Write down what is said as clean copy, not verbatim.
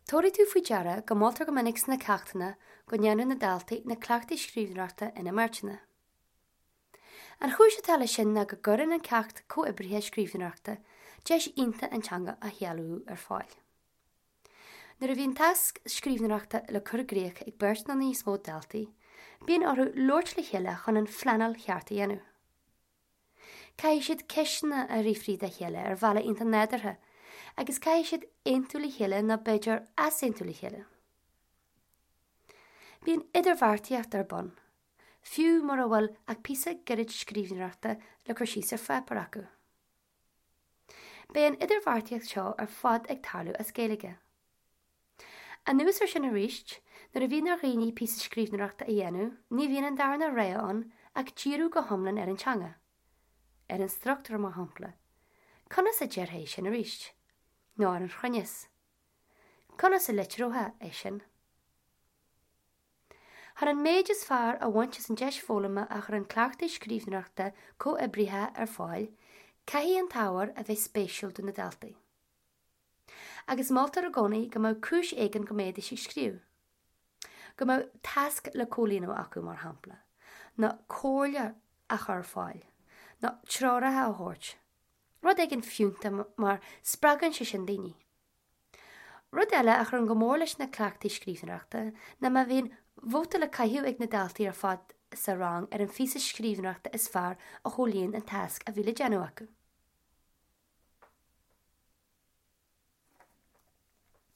Tabharfaidh tú faoi deara go moltar go minic sna ceachtanna go ndéanfadh na daltaí na cleachtaí scríbhneoireachta ina mbeirteanna. An chúis atá leis sin ná go gcuireann an ceacht comhoibrithe scríbhneoireachta deis iontach an teanga a shealbhú ar fáil. Nuair a bhíonn tasc scríbhneoireachta le cur i gcrích ag beirt nó níos mó daltaí, bíonn orthu labhairt le chéile chun an phleanáil cheart a dhéanamh. Caithfidh siad ceisteanna a fhiafraí dá chéile ar bhealach iontach nádúrtha agus caithfidh siad aontú le chéile nó b'fhéidir easaontú le chéile. Bíonn idirbheartaíocht ar bun, fiú mura bhfuil ach píosa gairid scríbhneoireachta le cur síos ar pháipéar acu. Beidh an idirbheartaíocht seo ar fad ag tarlú as Gaeilge. Anuas ar sin arís, nuair a bhíonn ar dhaoine píosa scríbhneoireachta a dhéanamh, ní bhíonn an darna rogha ann ach díriú go hiomlán ar an teanga. Ar an struchtúr, mar shampla. Conas a déarfá é sin arís? Nó ar an chruinneas. Conas a litreofá é sin? Chun an méid is fearr a bhaint as an deis foghlama a chuireann cleachtaí scríbhneoireachta comhoibrithe ar fáil, caithfidh an t-ábhar a bheith spéisiúil do na daltaí. Agus moltar i gcónaí go mbeadh cúis éigin go mbeidís ag scríobh. Go mbeadh tasc le comhlíonadh acu, mar shampla, nó comhairle a chur ar fáil, nó treoracha a thabhairt. Rud éigin fiúntach mar spreagann sé sin daoine. Rud eile a chuireann go mór leis na cleachtaí scríbhneoireachta ná má bhíonn vóta le caitheamh ag na daltaí ar fad sa rang ar an phíosa scríbhneoireachta is fearr a chomhlíon an tasc a bhí le déanamh acu.